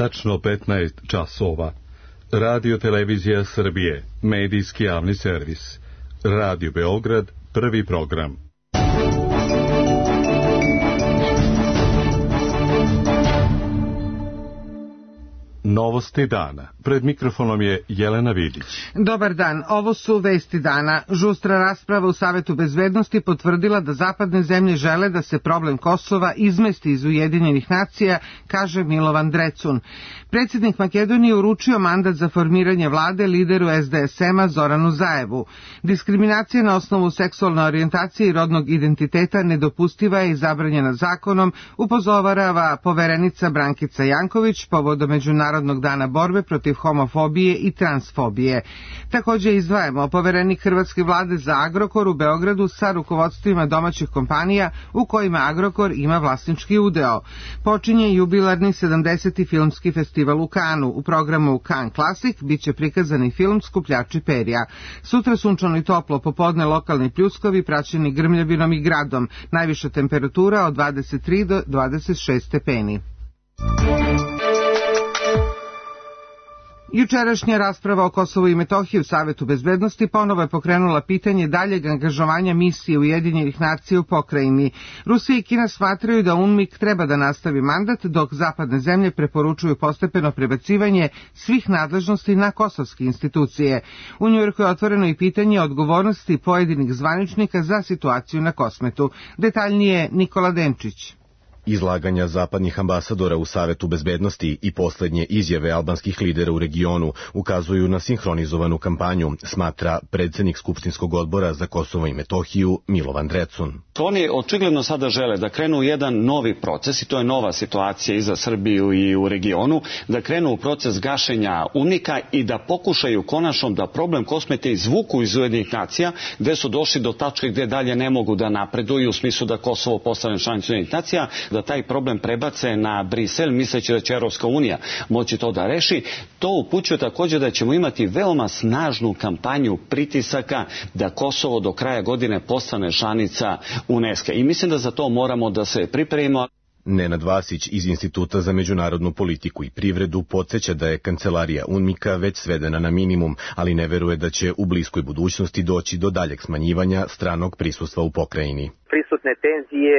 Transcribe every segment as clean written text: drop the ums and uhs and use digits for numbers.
Tačno 15 časova. Radio Televizija Srbije, medijski javni servis. Radio Beograd, prvi program. Novosti dana. Pred mikrofonom je Jelena Vidić. Dobar dan, ovo su vesti dana. Žustra rasprava u Savetu bezbednosti potvrdila da zapadne zemlje žele da se problem Kosova izmesti iz Ujedinjenih nacija, kaže Milovan Drecun. Predsjednik Makedonije uručio mandat za formiranje vlade lideru SDSM-a Zoranu Zaevu. Diskriminacija na osnovu seksualne orijentacije i rodnog identiteta nedopustiva je i zabranjena zakonom, upozorava poverenica Brankica Janković povodom Međunarodnog dana borbe protiv homofobije i transfobije. Također izdvajamo poverenik Hrvatske vlade za Agrokor u Beogradu sa rukovodstvima domaćih kompanija u kojima Agrokor ima vlasnički udeo. Počinje jubilarni 70. filmski festival u Kanu. U programu Kan Classic biće prikazani film Skupljači perja. Sutra sunčano i toplo, popodne lokalni pljuskovi praćeni grmljavinom i gradom. Najviša temperatura od 23 do 26 stepeni. Jučerašnja rasprava o Kosovu i Metohiji u Savetu bezbednosti ponovo je pokrenula pitanje daljeg angažovanja misije Ujedinjenih nacija u pokrajini. Rusija i Kina smatraju da UNMIK treba da nastavi mandat, dok zapadne zemlje preporučuju postepeno prebacivanje svih nadležnosti na kosovske institucije. U Njujorku je otvoreno i pitanje odgovornosti pojedinih zvaničnika za situaciju na Kosmetu. Detaljnije Nikola Denčić. Izlaganja zapadnih ambasadora u Savetu bezbednosti i posljednje izjave albanskih lidera u regionu ukazuju na sinhronizovanu kampanju, smatra predsjednik Skupštinskog odbora za Kosovo i Metohiju Milovan Drecun. Oni očigledno sada žele da krenu u jedan novi proces, i to je nova situacija i za Srbiju i u regionu, da krenu u proces gašenja UNMIK-a i da pokušaju konačno da problem Kosmete izvuku iz Ujedinjenih nacija, gde su došli do tačke gde dalje ne mogu da napreduju u smislu da Kosovo postane članica Ujedinjenih nacija, da taj problem prebace na Brisel, misleći da će Evropska unija moći to da reši. To upućuje također da ćemo imati veoma snažnu kampanju pritisaka da Kosovo do kraja godine postane članica UNESCO. I mislim da za to moramo da se pripremimo. Nenad Vasić iz Instituta za međunarodnu politiku i privredu podsjeća da je kancelarija UNMIK-a već svedena na minimum, ali ne veruje da će u bliskoj budućnosti doći do daljeg smanjivanja stranog prisustva u pokrajini. Prisutne tenzije,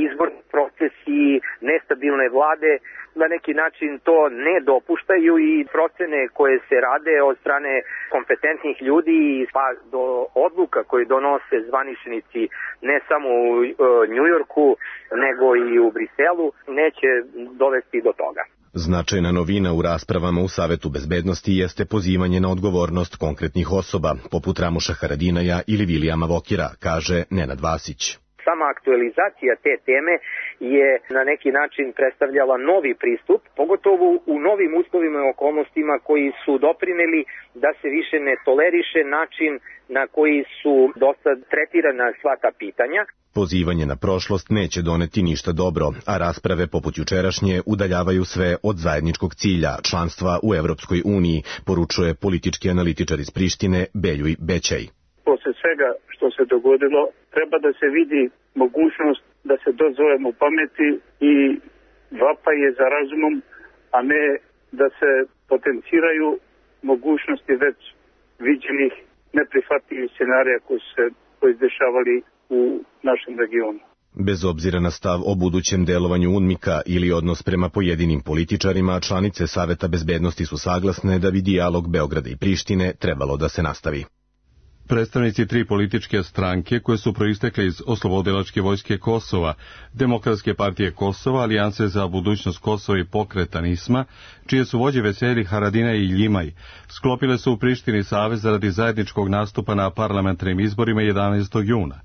izborni procesi, nestabilne vlade na neki način to ne dopuštaju i procene koje se rade od strane kompetentnih ljudi pa do odluka koje donose zvaničnici ne samo u Njujorku nego i u Briselu neće dovesti do toga. Značajna novina u raspravama u Savetu bezbednosti jeste pozivanje na odgovornost konkretnih osoba, poput Ramuša Haradinaja ili Vilijama Vokira, kaže Nenad Vasić. Sama aktualizacija te teme je na neki način predstavljala novi pristup, pogotovo u novim uslovima i okolnostima koji su doprineli da se više ne toleriše način na koji su dosad tretirana sva ta pitanja. Pozivanje na prošlost neće doneti ništa dobro, a rasprave poput jučerašnje udaljavaju sve od zajedničkog cilja, članstva u Evropskoj uniji, poručuje politički analitičar iz Prištine Beljuj Bećaj. Posle svega što se dogodilo, treba da se vidi mogućnost da se dozovemo pameti i vapaje za razumom, a ne da se potenciraju mogućnosti već viđenih neprihvatljivih scenarija koji se dešavali u našem regionu. Bez obzira na stav o budućem delovanju UNMIK-a ili odnos prema pojedinim političarima, članice Saveta bezbednosti su saglasne da bi dijalog Beograda i Prištine trebalo da se nastavi. Predstavnici tri političke stranke koje su proistekle iz Oslobodilačke vojske Kosova, Demokratske partije Kosova, Alijanse za budućnost Kosova i Pokreta NISMA, čije su vođe Veseli, Haradina i Ljimaj, sklopile su u Prištini savez radi zajedničkog nastupa na parlamentarnim izborima 11. juna.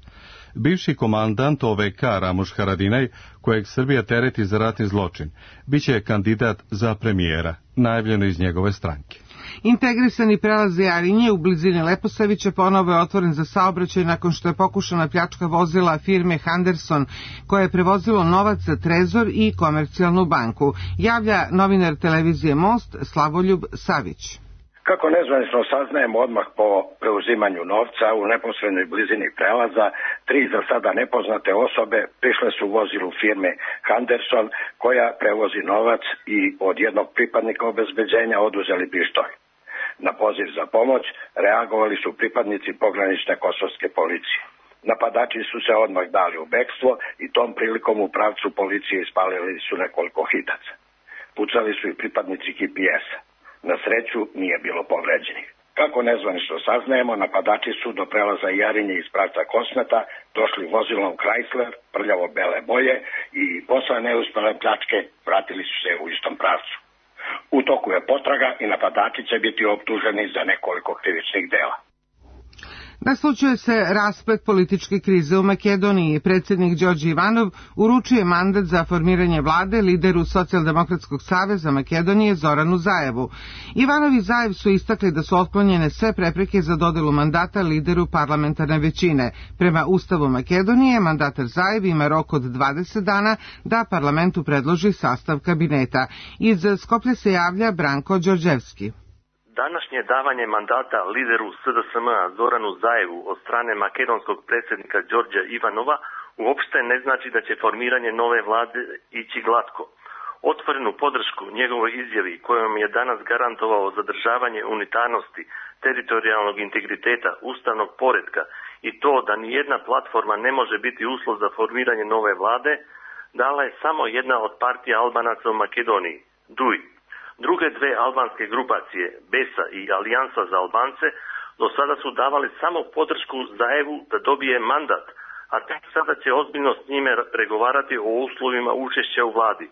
Bivši komandant OVK Ramuš Haradinaj, kojeg Srbija tereti za ratni zločin, biće kandidat za premijera, najavljeno iz njegove stranke. Integrisani prelaz Jarinje u blizini Leposavića ponovo je otvoren za saobraćaj nakon što je pokušana pljačka vozila firme Henderson, koje je prevozilo novac za Trezor i Komercijalnu banku, javlja novinar televizije Most Slavoljub Savić. Kako nezvanično saznajemo odmah po preuzimanju novca u neposrednoj blizini prelaza, 3 za sada nepoznate osobe prišle su u vozilu firme Henderson koja prevozi novac i od jednog pripadnika obezbeđenja oduzeli pištolj. Na poziv za pomoć reagovali su pripadnici pogranične kosovske policije. Napadači su se odmah dali u bekstvo i tom prilikom u pravcu policije ispalili su nekoliko hitaca. Pucali su i pripadnici KPS-a. Na sreću nije bilo povređenih. Kako nezvanično saznajemo, napadači su do prelaza Jarinje iz pravca Kosmeta došli vozilom Chrysler prljavo-bele boje i posle neuspele pljačke vratili su se u istom pravcu. U toku je potraga i napadači će biti optuženi za nekoliko krivičnih dela. Naslućuje se rasplet političke krize u Makedoniji. Predsjednik Đorđe Ivanov uručuje mandat za formiranje vlade lideru Socijaldemokratskog saveza Makedonije Zoranu Zajevu. Ivanov i Zajev su istakli da su otklonjene sve prepreke za dodelu mandata lideru parlamentarne većine. Prema Ustavu Makedonije, mandatar Zajev ima rok od 20 dana da parlamentu predloži sastav kabineta. Iz Skoplja se javlja Branko Đorđevski. Današnje davanje mandata lideru SDSM-a Zoranu Zajevu od strane makedonskog predsjednika Đorđa Ivanova uopšte ne znači da će formiranje nove vlade ići glatko. Otvorenu podršku njegovoj izjavi kojom je danas garantovao zadržavanje unitarnosti, teritorijalnog integriteta, ustavnog poretka i to da nijedna platforma ne može biti uslov za formiranje nove vlade, dala je samo jedna od partija Albanaca u Makedoniji, DUI. Druge dve albanske grupacije, BESA i Alijansa za Albance, do sada su davali samo podršku Zajevu da dobije mandat, a tek sada će ozbiljno s njime pregovarati o uslovima učešća u vladi.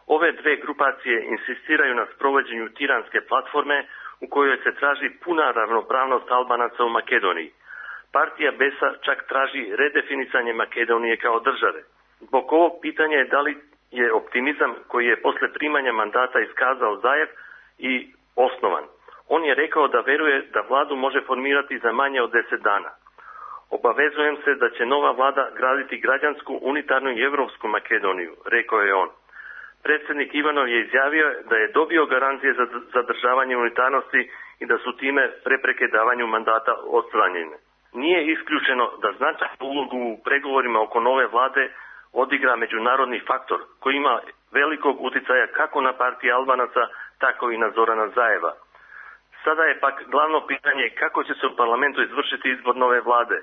Ove dve grupacije insistiraju na sprovođenju tiranske platforme u kojoj se traži puna ravnopravnost Albanaca u Makedoniji. Partija BESA čak traži redefinicanje Makedonije kao države. Zbog ovog pitanja je da li je optimizam koji je posle primanja mandata iskazao Zajev i osnovan. On je rekao da veruje da vladu može formirati za manje od 10 dana. Obavezujem se da će nova vlada graditi građansku, unitarnu i evropsku Makedoniju, rekao je on. Predsjednik Ivanov je izjavio da je dobio garancije za zadržavanje unitarnosti i da su time prepreke davanju mandata odstranjene. Nije isključeno da značajnu ulogu u pregovorima oko nove vlade odigra međunarodni faktor koji ima velikog uticaja kako na partije Albanaca, tako i na Zorana Zajeva. Sada je pak glavno pitanje kako će se u parlamentu izvršiti izbor nove vlade.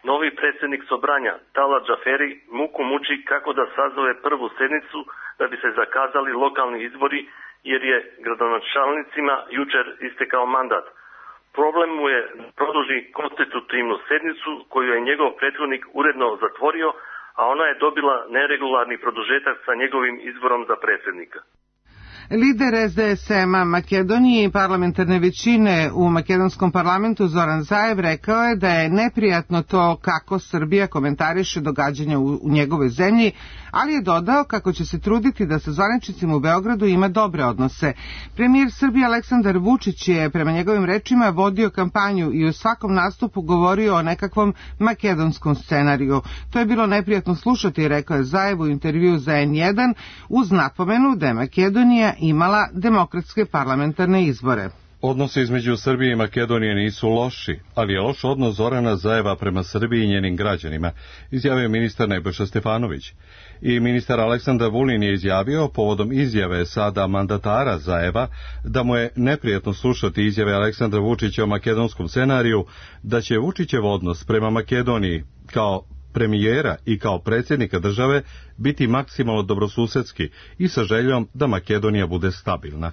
Novi predsjednik Sobranja, Tala Džaferi, muku muči kako da sazove prvu sednicu da bi se zakazali lokalni izbori jer je gradonačelnicima jučer istekao mandat. Problem mu je produži konstitutivnu sednicu koju je njegov prethodnik uredno zatvorio, a ona je dobila neregularni produžetak sa njegovim izborom za predsjednika. Lider SDSM-a Makedonije i parlamentarne većine u makedonskom parlamentu Zoran Zajev rekao je da je neprijatno to kako Srbija komentariše događanja u njegovoj zemlji, ali je dodao kako će se truditi da sa zvaničnicima u Beogradu ima dobre odnose. Premijer Srbije Aleksandar Vučić je prema njegovim rečima vodio kampanju i u svakom nastupu govorio o nekakvom makedonskom scenariju. To je bilo neprijatno slušati, rekao je Zajev u intervjuu za N1 uz napomenu da je Makedonija imala demokratske parlamentarne izbore. Odnosi između Srbije i Makedonije nisu loši, ali je loš odnos Zorana Zajeva prema Srbiji i njenim građanima, izjavio ministar Nebojša Stefanović. I ministar Aleksandar Vulin je izjavio, povodom izjave sada mandatara Zajeva, da mu je neprijatno slušati izjave Aleksandra Vučića o makedonskom scenariju, da će Vučićev odnos prema Makedoniji kao premijera i kao predsjednika države biti maksimalno dobrosusedski i sa željom da Makedonija bude stabilna.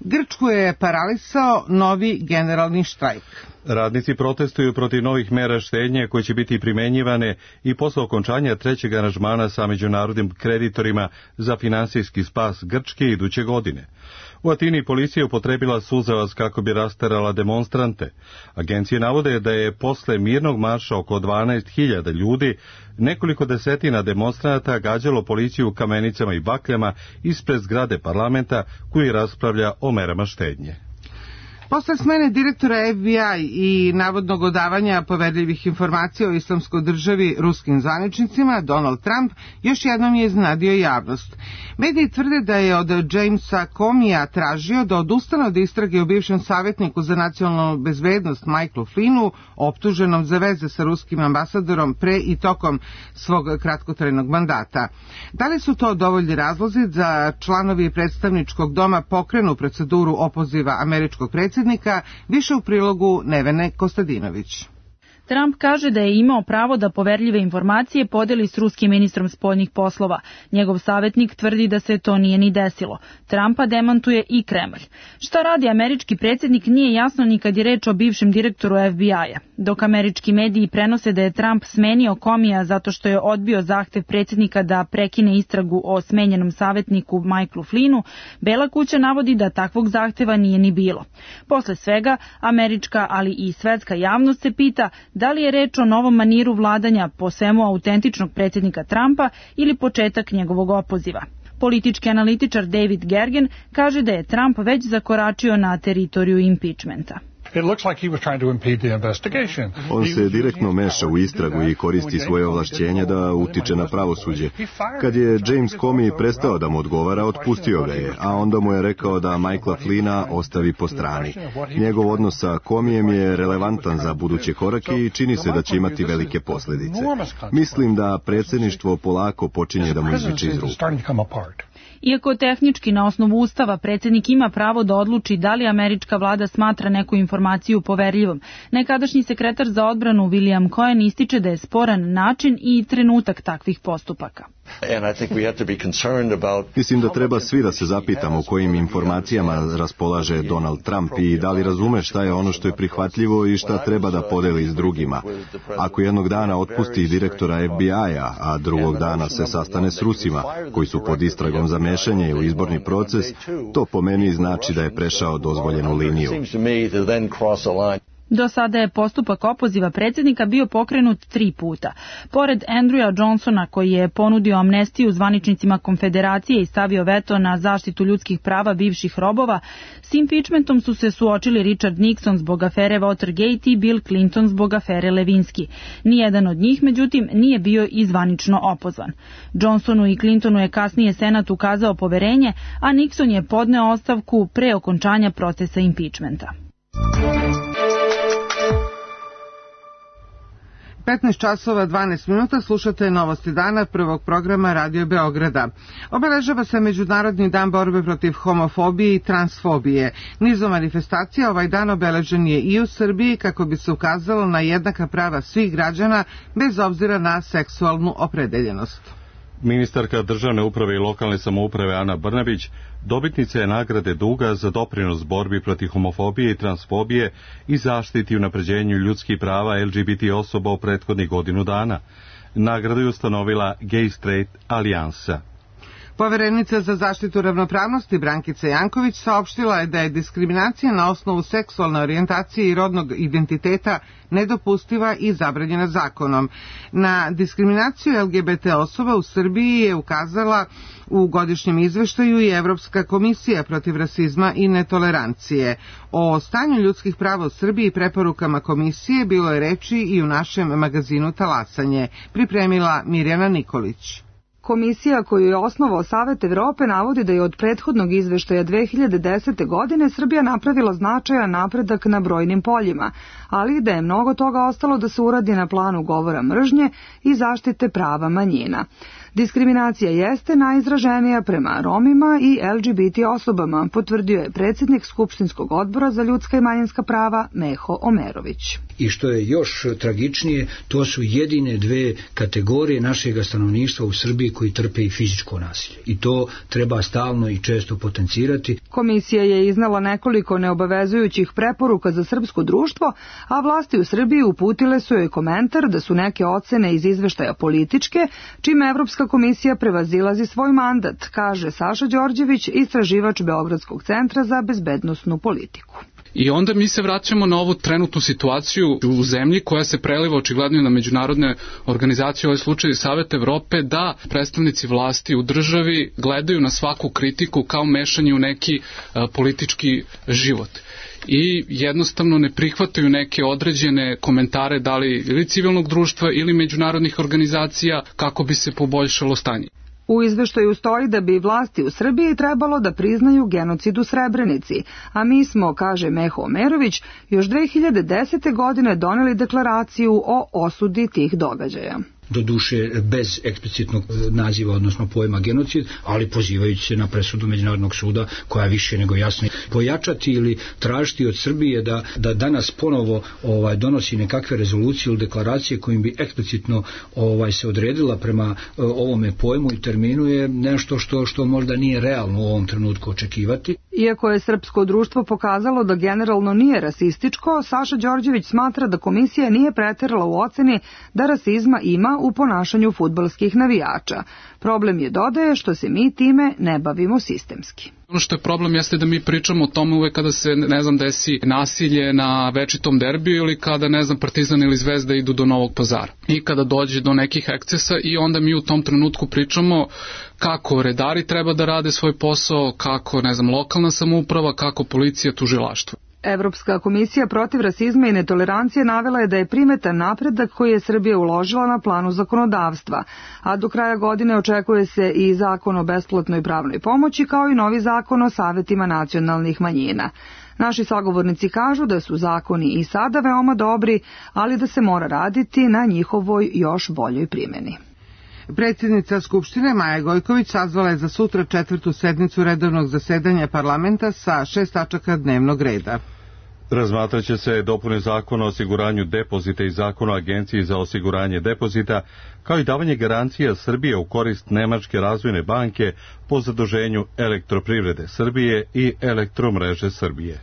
Grčku je paralisao novi generalni štrajk. Radnici protestuju protiv novih mera štednje koje će biti primenjivane i posle okončanja trećeg aranžmana sa međunarodnim kreditorima za finansijski spas Grčke iduće godine. U Atini policija upotrebila suzavac kako bi rasterala demonstrante. Agencije navode da je posle mirnog marša oko 12.000 ljudi nekoliko desetina demonstranata gađalo policiju kamenicama i bakljama ispred zgrade parlamenta koji raspravlja o merama štednje. Posle smene direktora FBI i navodnog odavanja poverljivih informacija o islamskoj državi ruskim zvaničnicima, Donald Trump još jednom je iznenadio javnost. Mediji tvrde da je od Jamesa Comeyja tražio da odustane od istrage o bivšem savjetniku za nacionalnu bezbednost Michaelu Flynnu, optuženom za veze sa ruskim ambasadorom pre i tokom svog kratkotrajnog mandata. Da li su to dovoljni razlozi da članovi predstavničkog doma pokrenu proceduru opoziva američkog predsjednika? Više u prilogu Nevene Kostadinović. Trump kaže da je imao pravo da poverljive informacije podeli s ruskim ministrom spoljnih poslova. Njegov savjetnik tvrdi da se to nije ni desilo. Trumpa demantuje i Kremlj. Šta radi američki predsjednik nije jasno ni kad je reč o bivšem direktoru FBI-a. Dok američki mediji prenose da je Trump smenio Comeyja zato što je odbio zahtev predsjednika da prekine istragu o smenjenom savjetniku Michaelu Flynnu, Bela kuća navodi da takvog zahteva nije ni bilo. Posle svega, američka, ali i svetska javnost se pita da li je reč o novom maniru vladanja po svemu autentičnog predsjednika Trumpa ili početak njegovog opoziva. Politički analitičar David Gergen kaže da je Trump već zakoračio na teritoriju impeachmenta. On se direktno meša u istragu i koristi svoje ovlašćenje da utiče na pravosuđe. Kad je James Comey prestao da mu odgovara, otpustio ga je, a onda mu je rekao da Michaela Flynna ostavi po strani. Njegov odnos sa Comeyjem je relevantan za buduće korake i čini se da će imati velike posljedice. Mislim da predsjedništvo polako počinje da mu izviče iz ruku. Iako tehnički na osnovu Ustava predsjednik ima pravo da odluči da li američka vlada smatra neku informaciju poverljivom, nekadašnji sekretar za odbranu William Cohen ističe da je sporan način i trenutak takvih postupaka. Mislim da treba svi da se zapitamo o kojim informacijama raspolaže Donald Trump i da li razume šta je ono što je prihvatljivo i šta treba da podeli s drugima. Ako jednog dana otpusti direktora FBI-a, a drugog dana se sastane s Rusima, koji su pod istragom za mešanje u izborni proces, to po meni znači da je prešao dozvoljenu liniju. Do sada je postupak opoziva predsjednika bio pokrenut 3 puta. Pored Andrewa Johnsona, koji je ponudio amnestiju zvaničnicima konfederacije i stavio veto na zaštitu ljudskih prava bivših robova, s impeachmentom su se suočili Richard Nixon zbog afere Watergate i Bill Clinton zbog afere Levinsky. Nijedan od njih, međutim, nije bio i zvanično opozvan. Johnsonu i Clintonu je kasnije Senat ukazao poverenje, a Nixon je podneo ostavku pre okončanja procesa impeachmenta. 15 časova 12 minuta slušate Novosti dana prvog programa Radio Beograda. Obeležava se Međunarodni dan borbe protiv homofobije i transfobije. Nizom manifestacija ovaj dan obeležen je i u Srbiji kako bi se ukazalo na jednaka prava svih građana bez obzira na seksualnu opredeljenost. Ministarka državne uprave i lokalne samouprave Ana Brnabić dobitnica je nagrade Duga za doprinos borbi protiv homofobije i transfobije i zaštiti i unapređenju ljudskih prava LGBT osoba u prethodnih godinu dana. Nagradu je ustanovila Gay Straight Alijansa. Poverenica za zaštitu ravnopravnosti Brankica Janković saopštila je da je diskriminacija na osnovu seksualne orijentacije i rodnog identiteta nedopustiva i zabranjena zakonom. Na diskriminaciju LGBT osoba u Srbiji je ukazala u godišnjem izveštaju i Evropska komisija protiv rasizma i netolerancije. O stanju ljudskih prava u Srbiji i preporukama komisije bilo je reči i u našem magazinu Talasanje, pripremila Mirjana Nikolić. Komisija koju je osnovao Savet Evrope navodi da je od prethodnog izveštaja 2010. godine Srbija napravila značajan napredak na brojnim poljima, ali da je mnogo toga ostalo da se uradi na planu govora mržnje i zaštite prava manjina. Diskriminacija jeste najizraženija prema Romima i LGBT osobama, potvrdio je predsjednik Skupštinskog odbora za ljudska i manjinska prava Meho Omerović. I što je još tragičnije, to su jedine dve kategorije našeg stanovništva u Srbiji koji trpe i fizičko nasilje. I to treba stalno i često potencirati. Komisija je iznala nekoliko neobavezujućih preporuka za srpsko društvo, a vlasti u Srbiji uputile su joj komentar da su neke ocene iz izveštaja političke, čime Evropska komisija prevazilazi svoj mandat, kaže Saša Đorđević, istraživač Beogradskog centra za bezbednosnu politiku. I onda mi se vraćamo na ovu trenutnu situaciju u zemlji koja se preliva očigledno na međunarodne organizacije, u ovoj slučaju Savet Evrope, da predstavnici vlasti u državi gledaju na svaku kritiku kao mešanje u neki politički život. I jednostavno ne prihvataju neke određene komentare da li ili civilnog društva ili međunarodnih organizacija kako bi se poboljšalo stanje. U izveštaju stoji da bi vlasti u Srbiji trebalo da priznaju genocid u Srebrenici, a mi smo, kaže Meho Omerović, još 2010. godine doneli deklaraciju o osudi tih događaja. Doduše bez eksplicitnog naziva, odnosno pojma genocid, ali pozivajući se na presudu Međunarodnog suda koja je više nego jasno. Pojačati ili tražiti od Srbije da danas ponovo donosi nekakve rezolucije ili deklaracije kojim bi eksplicitno se odredila prema ovome pojmu i terminu je nešto što možda nije realno u ovom trenutku očekivati. Iako je srpsko društvo pokazalo da generalno nije rasističko, Saša Đorđević smatra da komisija nije preterala u oceni da rasizma ima u ponašanju fudbalskih navijača. Problem je, dodaje, što se mi time ne bavimo sistemski. Ono što je problem jeste da mi pričamo o tome uvek kada se, desi nasilje na večitom derbiju ili kada, Partizan ili Zvezda idu do Novog Pazara. I kada dođe do nekih ekscesa i onda mi u tom trenutku pričamo kako redari treba da rade svoj posao, kako, lokalna samouprava, kako policija, tužilaštvo. Evropska komisija protiv rasizma i netolerancije navela je da je primetan napredak koji je Srbija uložila na planu zakonodavstva, a do kraja godine očekuje se i zakon o besplatnoj pravnoj pomoći kao i novi zakon o savetima nacionalnih manjina. Naši sagovornici kažu da su zakoni i sada veoma dobri, ali da se mora raditi na njihovoj još boljoj primjeni. Predsjednica Skupštine Maja Gojković sazvala je za sutra 4. sednicu redovnog zasedanja parlamenta sa 6 tačaka dnevnog reda. Razmatraće se dopune zakona o osiguranju depozita i zakona o agenciji za osiguranje depozita, kao i davanje garancija Srbije u korist Nemačke razvojne banke po zaduženju Elektroprivrede Srbije i Elektromreže Srbije.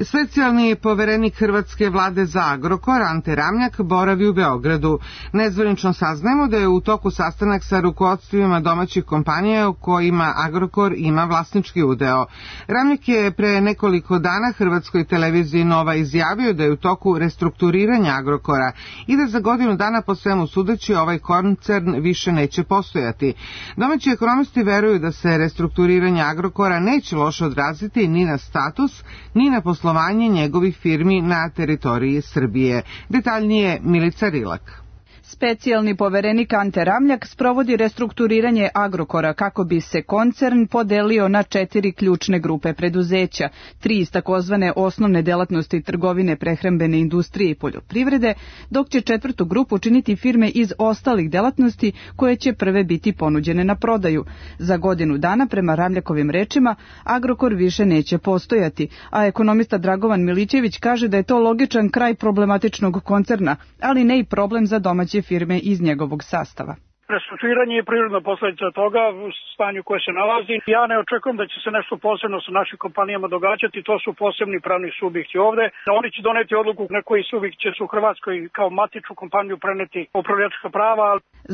Specijalni poverenik Hrvatske vlade za Agrokor, Ante Ramljak, boravi u Beogradu. Nezvanično saznajemo da je u toku sastanak sa rukovodstvima domaćih kompanija u kojima Agrokor ima vlasnički udeo. Ramljak je pre nekoliko dana Hrvatskoj televiziji Nova izjavio da je u toku restrukturiranja Agrokora i da za godinu dana po svemu sudeći ovaj koncern više neće postojati. Domaći ekonomisti veruju da se restrukturiranje Agrokora neće loše odraziti ni na status, ni na poslovanje njegovih firmi na teritoriji Srbije. Detaljnije Milica Rilak. Specijalni poverenik Ante Ramljak sprovodi restrukturiranje Agrokora kako bi se koncern podelio na 4 ključne grupe preduzeća, 3 iz takozvane osnovne delatnosti trgovine, prehrambene industrije i poljoprivrede, dok će 4. grupu činiti firme iz ostalih delatnosti koje će prve biti ponuđene na prodaju. Za godinu dana, prema Ramljakovim rečima, Agrokor više neće postojati, a ekonomista Dragovan Milićević kaže da je to logičan kraj problematičnog koncerna, ali ne i problem za domaće firme iz njegovog sastava. Restrukturiranje je prirodna posljedica toga u stanju koje se nalazi. Ja ne očekujem da će se nešto posebno sa našim kompanijama događati, to su posebni pravni subjekti ovde. Oni će doneti odluku na koji subjekt će se u Hrvatskoj kao matičnu kompaniju preneti upravljačka prava.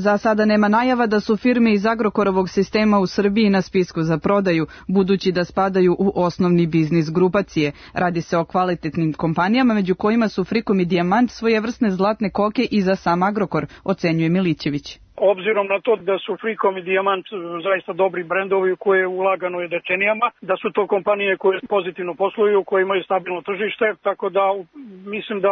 Za sada nema najava da su firme iz Agrokorovog sistema u Srbiji na spisku za prodaju, budući da spadaju u osnovni biznis grupacije. Radi se o kvalitetnim kompanijama, među kojima su Frikom i Dijamant, svojevrsne zlatne koke i za sam Agrokor, ocenjuje Milićević. Obzirom na to da su Frikom i Dijamant zaista dobri brendovi u koje je ulagano je decenijama, da su to kompanije koje pozitivno posluju, koje imaju stabilno tržište, tako da mislim da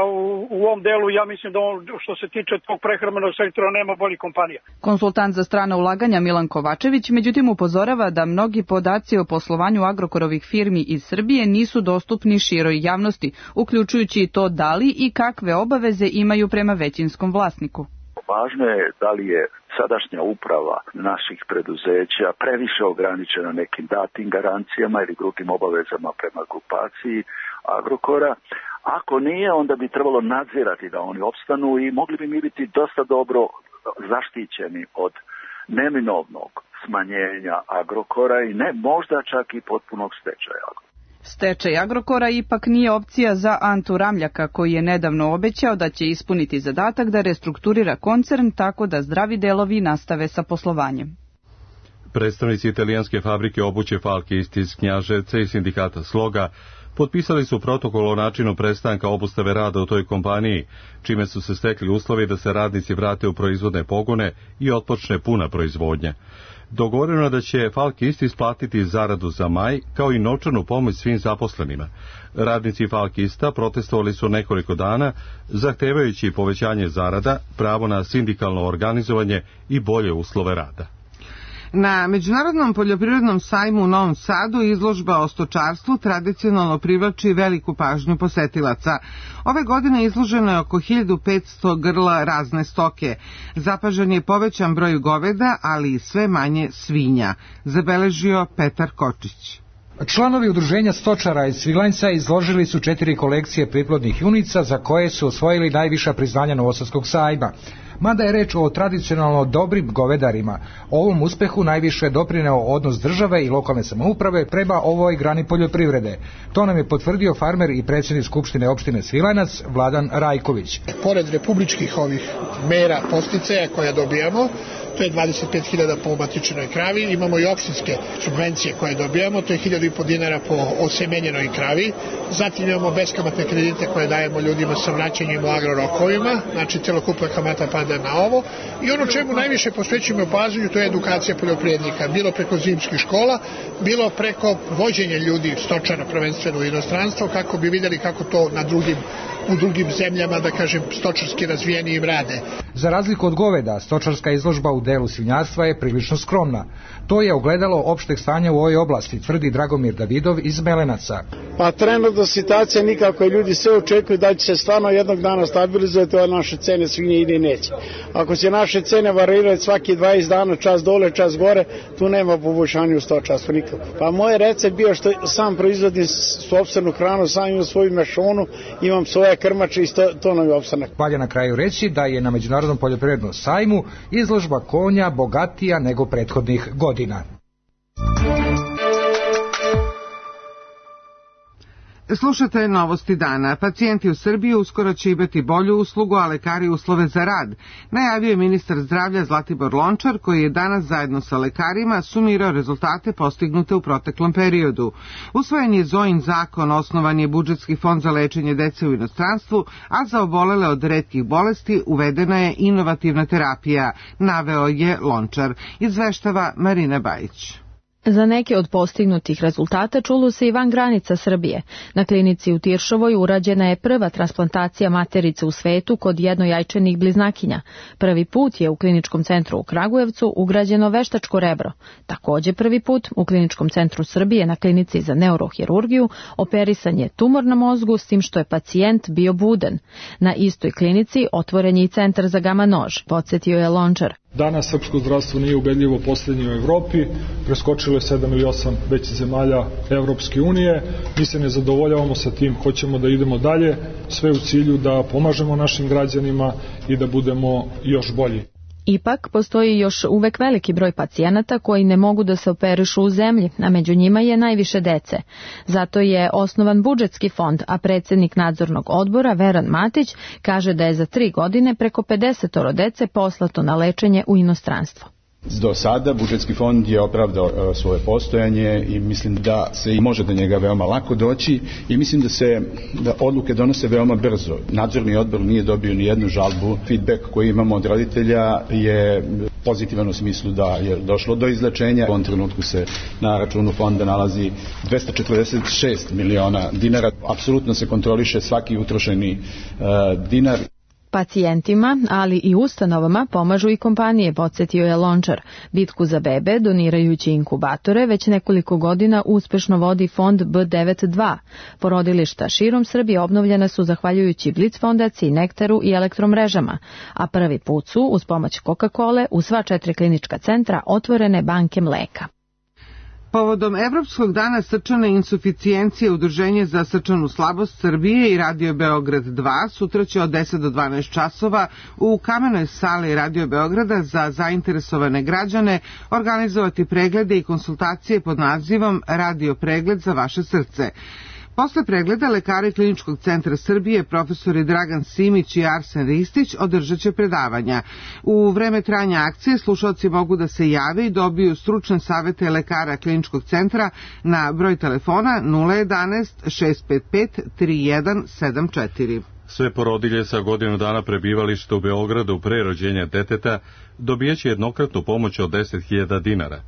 u ovom delu, ja mislim da što se tiče tog prehrambenog sektora nema boljih kompanija. Konsultant za strana ulaganja Milan Kovačević međutim upozorava da mnogi podaci o poslovanju Agrokorovih firmi iz Srbije nisu dostupni široj javnosti, uključujući i to da li i kakve obaveze imaju prema većinskom vlasniku. Važno je da li je sadašnja uprava naših preduzeća previše ograničena nekim datim garancijama ili drugim obavezama prema grupaciji Agrokora. Ako nije, onda bi trebalo nadzirati da oni opstanu i mogli bi mi biti dosta dobro zaštićeni od neminovnog smanjenja Agrokora i ne možda čak i potpunog stečaja. Stečaj Agrokora ipak nije opcija za Antu Ramljaka, koji je nedavno obećao da će ispuniti zadatak da restrukturira koncern tako da zdravi delovi nastave sa poslovanjem. Predstavnici italijanske fabrike obuće Falke iz Knjaževca i sindikata Sloga Potpisali su protokol o načinu prestanka obustave rada u toj kompaniji, čime su se stekli uslovi da se radnici vrate u proizvodne pogone i otpočne puna proizvodnja. Dogovoreno je da će Falk Ist isplatiti zaradu za maj, kao i novčanu pomoć svim zaposlenima. Radnici Falk Ista protestovali su nekoliko dana, zahtevajući povećanje zarada, pravo na sindikalno organizovanje i bolje uslove rada. Na Međunarodnom poljoprivrednom sajmu u Novom Sadu izložba o stočarstvu tradicionalno privlači veliku pažnju posetilaca. Ove godine izloženo je oko 1500 grla razne stoke. Zapažan je povećan broj goveda, ali i sve manje svinja, zabeležio Petar Kočić. Članovi udruženja stočara iz Svilajnca izložili su 4 kolekcije priplodnih junica za koje su osvojili najviša priznanja Novosadskog sajma. Mada je reč o tradicionalno dobrim govedarima, ovom uspehu najviše je doprineo odnos države i lokalne samouprave prema ovoj grani poljoprivrede. To nam je potvrdio farmer i predsjednik Skupštine opštine Svilajnac Vladan Rajković. Pored republičkih ovih mera posticaja koja dobijamo, to je 25.000 po matičnoj kravi, imamo i opštinske subvencije koje dobijamo, to je 1.500 dinara po osemenjenoj kravi, zatim imamo beskamatne kredite koje dajemo ljudima sa vraćanjem u agrorokovima, znači celokupna kamata pada na ovo, i ono čemu najviše posvećujemo pažnju, to je edukacija poljoprivrednika, bilo preko zimskih škola, bilo preko vođenja ljudi, stočara prvenstveno u inostranstvo, kako bi vidjeli kako to u drugim zemljama, da kažem, stočarski razvijenijim rade. Za razliku od goveda, stočarska izložba u delu svinjarstva je prilično skromna. To je ogledalo opšteg stanja u ovoj oblasti, tvrdi Dragomir Davidov iz Melenaca. Pa trenutno situacija nikako, ljudi sve očekuju da će se stvarno jednog dana stabilizovati ove naše cene svinje ili neće. Ako će naše cene varirati svaki 20 dana, čas dole, čas gore, tu nema poboljšanja u stočarstvu nikako. Pa moj recept bio što sam proizvodim sopstvenu hranu, sam imam svoju mešonu, imam svoje krmače i to nam je opstanak. Valja na kraju reći da je na Međunarodnom poljoprivrednom sajmu izložba konja bogatija nego prethodnih godina. Slušate novosti dana. Pacijenti u Srbiji uskoro će imati bolju uslugu, a lekari uslove za rad. Najavio je ministar zdravlja Zlatibor Lončar, koji je danas zajedno sa lekarima sumirao rezultate postignute u proteklom periodu. Usvojen je Zojin zakon, osnovan je budžetski fond za lečenje dece u inostranstvu, a za obolele od retkih bolesti uvedena je inovativna terapija, naveo je Lončar. Izveštava Marina Bajić. Za neke od postignutih rezultata čulo se i van granica Srbije. Na klinici u Tiršovoj urađena je prva transplantacija materice u svetu kod jednojajčanih bliznakinja. Prvi put je u kliničkom centru u Kragujevcu ugrađeno veštačko rebro. Također prvi put u kliničkom centru Srbije na klinici za neurohirurgiju operisan je tumor na mozgu, s tim što je pacijent bio buden. Na istoj klinici otvoren je i centar za gama nož, podsjetio je Lončar. Danas srpsko zdravstvo nije ubedljivo posljednje u Evropi, preskočilo je 7 ili 8 većih zemalja Evropske unije. Mi se ne zadovoljavamo sa tim, hoćemo da idemo dalje, sve u cilju da pomažemo našim građanima i da budemo još bolji. Ipak, postoji još uvek veliki broj pacijenata koji ne mogu da se operišu u zemlji, a među njima je najviše dece. Zato je osnovan budžetski fond, a predsjednik nadzornog odbora Veran Matić kaže da je za 3 godine preko 50 dece poslato na lečenje u inostranstvo. Do sada budžetski fond je opravdao svoje postojanje i mislim da se i može do njega veoma lako doći i mislim da odluke donose veoma brzo. Nadzorni odbor nije dobio ni jednu žalbu. Feedback koji imamo od roditelja je pozitivan u smislu da je došlo do izlečenja. U ovom trenutku se na računu fonda nalazi 246 miliona dinara. Apsolutno se kontroliše svaki utrošeni dinar. Pacijentima, ali i ustanovama pomažu i kompanije, podsjetio je Lončar. Bitku za bebe, donirajući inkubatore, već nekoliko godina uspešno vodi fond B92. Porodilišta širom Srbije obnovljena su zahvaljujući Blic fondaciji, Nektaru i elektromrežama, a prvi put su, uz pomoć Coca-Cole, u sva 4 klinička centra otvorene banke mleka. Povodom Evropskog dana srčane insuficijencije Udruženje za srčanu slabost Srbije i Radio Beograd 2 sutra će od 10 do 12 časova u kamenoj sali Radio Beograda za zainteresovane građane organizovati preglede i konsultacije pod nazivom Radio pregled za vaše srce. Posle pregleda lekari Kliničkog centra Srbije, profesori Dragan Simić i Arsen Ristić održat će predavanja. U vreme trajanja akcije slušalci mogu da se jave i dobiju stručne savete lekara Kliničkog centra na broj telefona 011 655 3174. Sve porodilje sa godinu dana prebivališta u Beogradu pre rođenja deteta dobijaće jednokratnu pomoć od 10.000 dinara.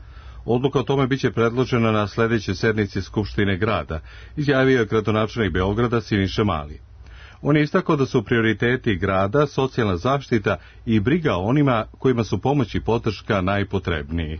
Odluka o tome biće predložena na sledećoj sednici Skupštine grada, izjavio je gradonačelnik Beograda Siniša Mali. On je istakao da su prioriteti grada socijalna zaštita i briga o onima kojima su pomoć i podrška najpotrebniji.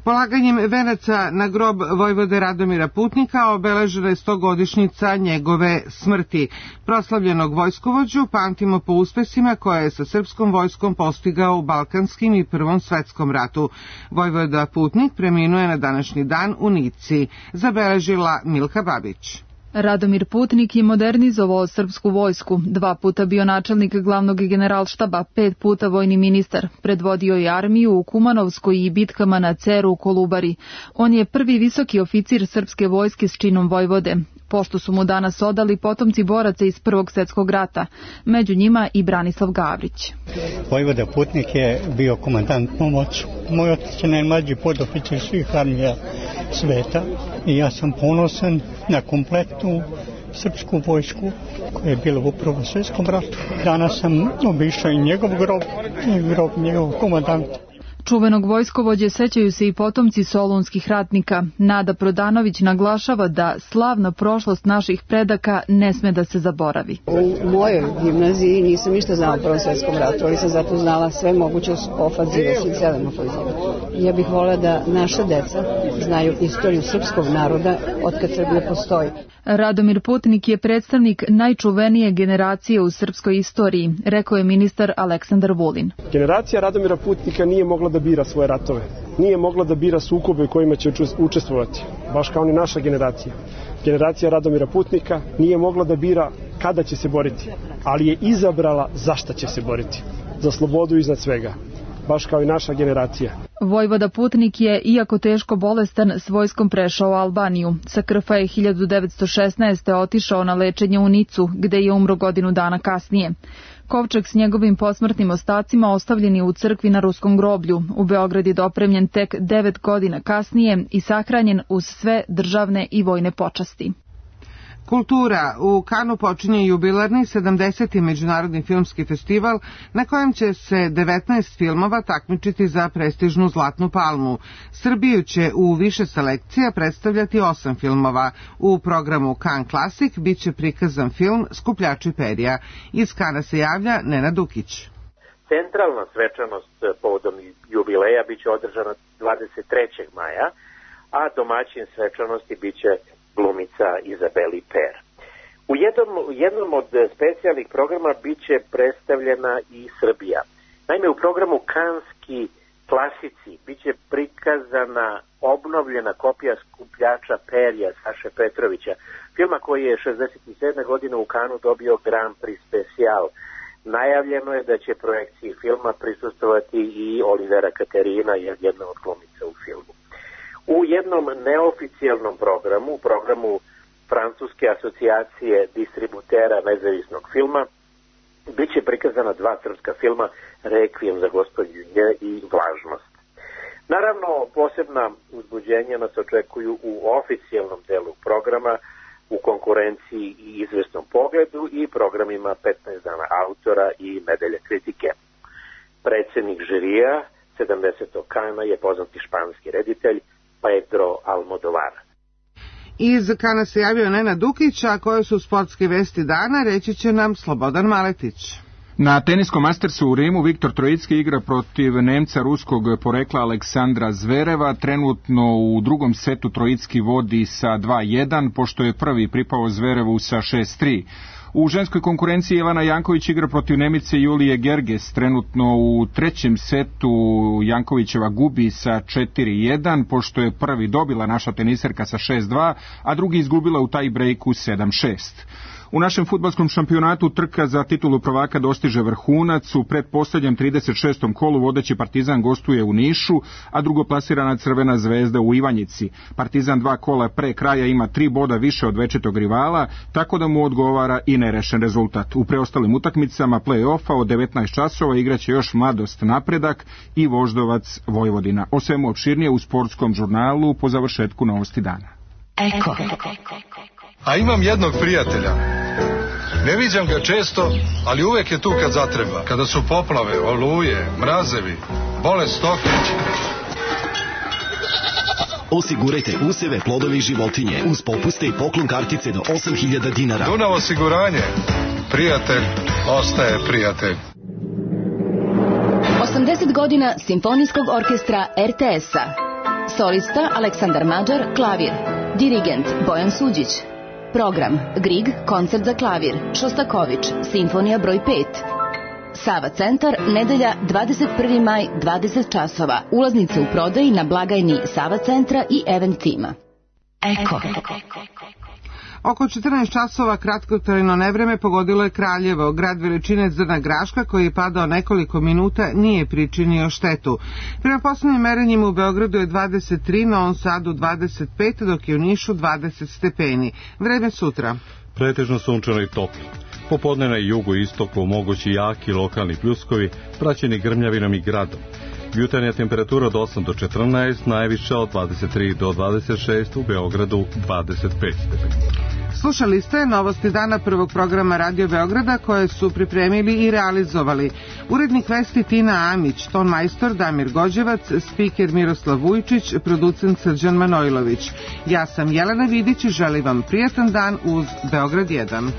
Polaganjem venaca na grob vojvode Radomira Putnika obeležena je 100-godišnjica njegove smrti. Proslavljenog vojskovođu pamtimo po uspesima koje je sa srpskom vojskom postigao u Balkanskim i Prvom svetskom ratu. Vojvoda Putnik preminuo je na današnji dan u Nici, zabeležila Milka Babić. Radomir Putnik je modernizovao srpsku vojsku, 2 puta bio načelnik glavnog generalštaba, 5 puta vojni ministar, predvodio je armiju u Kumanovskoj i bitkama na Ceru u Kolubari. On je prvi visoki oficir srpske vojske s činom vojvode. Pošto su mu danas odali potomci boraca iz Prvog svjetskog rata, među njima i Branislav Gavrić. Vojvoda Putnik je bio komandant pomoć. Moj otac je najmlađi podoficir svih armija sveta i ja sam ponosan na kompletnu srpsku vojsku koja je bila u Prvom svjetskom ratu. Danas sam obišao i njegov grob i grob njegovog komandanta. Čuvenog vojskovođe sećaju se i potomci solunskih ratnika. Nada Prodanović naglašava da slavna prošlost naših predaka ne sme da se zaboravi. U mojoj gimnaziji nisam ništa znala o Prvom svjetskom ratu, ali sam zato znala sve moguće ofanzive, svih 7 ofanziva. Ja bih volila da naša deca znaju istoriju srpskog naroda od kad Srbija postoji. Radomir Putnik je predstavnik najčuvenije generacije u srpskoj istoriji, rekao je ministar Aleksandar Vulin. Generacija Radomira Putnika nije mogla da bira svoje ratove, nije mogla da bira sukobe u kojima će učestvovati, baš kao ni naša generacija. Generacija Radomira Putnika nije mogla da bira kada će se boriti, ali je izabrala za šta će se boriti, za slobodu iznad svega, baš kao i naša generacija. Vojvoda Putnik je, iako teško bolestan, s vojskom prešao u Albaniju. Sa Krfa je 1916. otišao na lečenje u Nicu, gde je umro godinu dana kasnije. Kovčeg s njegovim posmrtnim ostacima ostavljen je u crkvi na Ruskom groblju. U Beograd je dopremljen tek 9 godina kasnije i sahranjen uz sve državne i vojne počasti. Kultura. U Kanu počinje jubilarni 70. međunarodni filmski festival na kojem će se 19 filmova takmičiti za prestižnu Zlatnu palmu. Srbiju će u više selekcija predstavljati 8 filmova. U programu Kan Klasik biće prikazan film Skupljači perja. Iz Kana se javlja Nenad Dukić. Centralna svečanost povodom jubileja biće održana 23. maja, a domaćin svečanosti biće glumica Izabeli Per. U jednom od specijalnih programa biće predstavljena i Srbija. Naime, u programu Kanski klasici biće prikazana obnovljena kopija Skupljača perja Saše Petrovića, filma koji je 67. godine u Kanu dobio Grand Prix Special. Najavljeno je da će projekciji filma prisustvovati i Olivera Katerina, jedna od glumica u filmu. U jednom neoficijalnom programu Francuske asocijacije distributera nezavisnog filma, bit će prikazana 2 srpska filma, Rekvijem za gospodinje i Vlažnost. Naravno, posebna uzbuđenja nas očekuju u oficijalnom delu programa, u konkurenciji i izvesnom pogledu i programima 15 dana autora i Nedelje kritike. Predsednik žirija 70. Kana je poznati španski reditelj Pedro Almodovar. Iz Kana se javio Nenad Dukić, a koje su sportske vesti dana, reći će nam Slobodan Maletić. Na teniskom Mastersu u Rimu Viktor Trojicki igra protiv Nemca ruskog porekla Aleksandra Zvereva. Trenutno u drugom setu Trojicki vodi sa 2-1, pošto je prvi pripao Zverevu sa 6-3. U ženskoj konkurenciji Ivana Janković igra protiv Nemice Julije Gerges. Trenutno u trećem setu Jankovićeva gubi sa 4-1, pošto je prvi dobila naša teniserka sa 6-2, a drugi izgubila u taj breaku 7-6. U našem fudbalskom šampionatu trka za titulu prvaka dostiže vrhunac. U pretposlednjem 36. kolu vodeći Partizan gostuje u Nišu, a drugoplasirana Crvena zvezda u Ivanjici. Partizan 2 kola pre kraja ima 3 boda više od večitog rivala, tako da mu odgovara i nerešen rezultat. U preostalim utakmicama play-offa od 19 časova igraće još Mladost Napredak i Voždovac Vojvodina. O svemu opširnije u sportskom žurnalu po završetku Novosti dana. Eko. A imam jednog prijatelja. Ne viđam ga često, ali uvek je tu kad zatreba. Kada su poplave, oluje, mrazevi, bolest stoke. Osigurajte useve, plodove i životinje uz popuste i poklon kartice do 8.000 dinara. Dunav osiguranje. Prijatelj ostaje prijatelj. 80 godina Simfonijskog orkestra RTS-a. Solista Aleksandar Mađar, klavir. Dirigent Bojan Suđić. Program Grieg, koncert za klavir. Šostaković, simfonija broj 5. Sava centar, nedelja 21. maj, 20 časova. Ulaznice u prodaji na blagajni Sava centra i Event tima. Eko. Oko 14 časova kratkotrajno nevreme pogodilo je Kraljevo. Grad veličine zrna graška koji je padao nekoliko minuta nije pričinio štetu. Prema poslednjim merenjima u Beogradu je 23, na Novom Sadu 25, dok je u Nišu 20 stepeni. Vreme sutra. Pretežno sunčano i toplo. Popodne na jugu i istoku mogući jaki lokalni pljuskovi, praćeni grmljavinom i gradom. Jutarnja temperatura od 8 do 14, najviša od 23 do 26, u Beogradu 25 stepeni. Slušali ste Novosti dana prvog programa Radio Beograda koje su pripremili i realizovali. Urednik vesti Tina Amić, ton majstor Damir Gođevac, spiker Miroslav Vujčić, producent Srđan Manojlović. Ja sam Jelena Vidić i želim vam prijatan dan uz Beograd 1.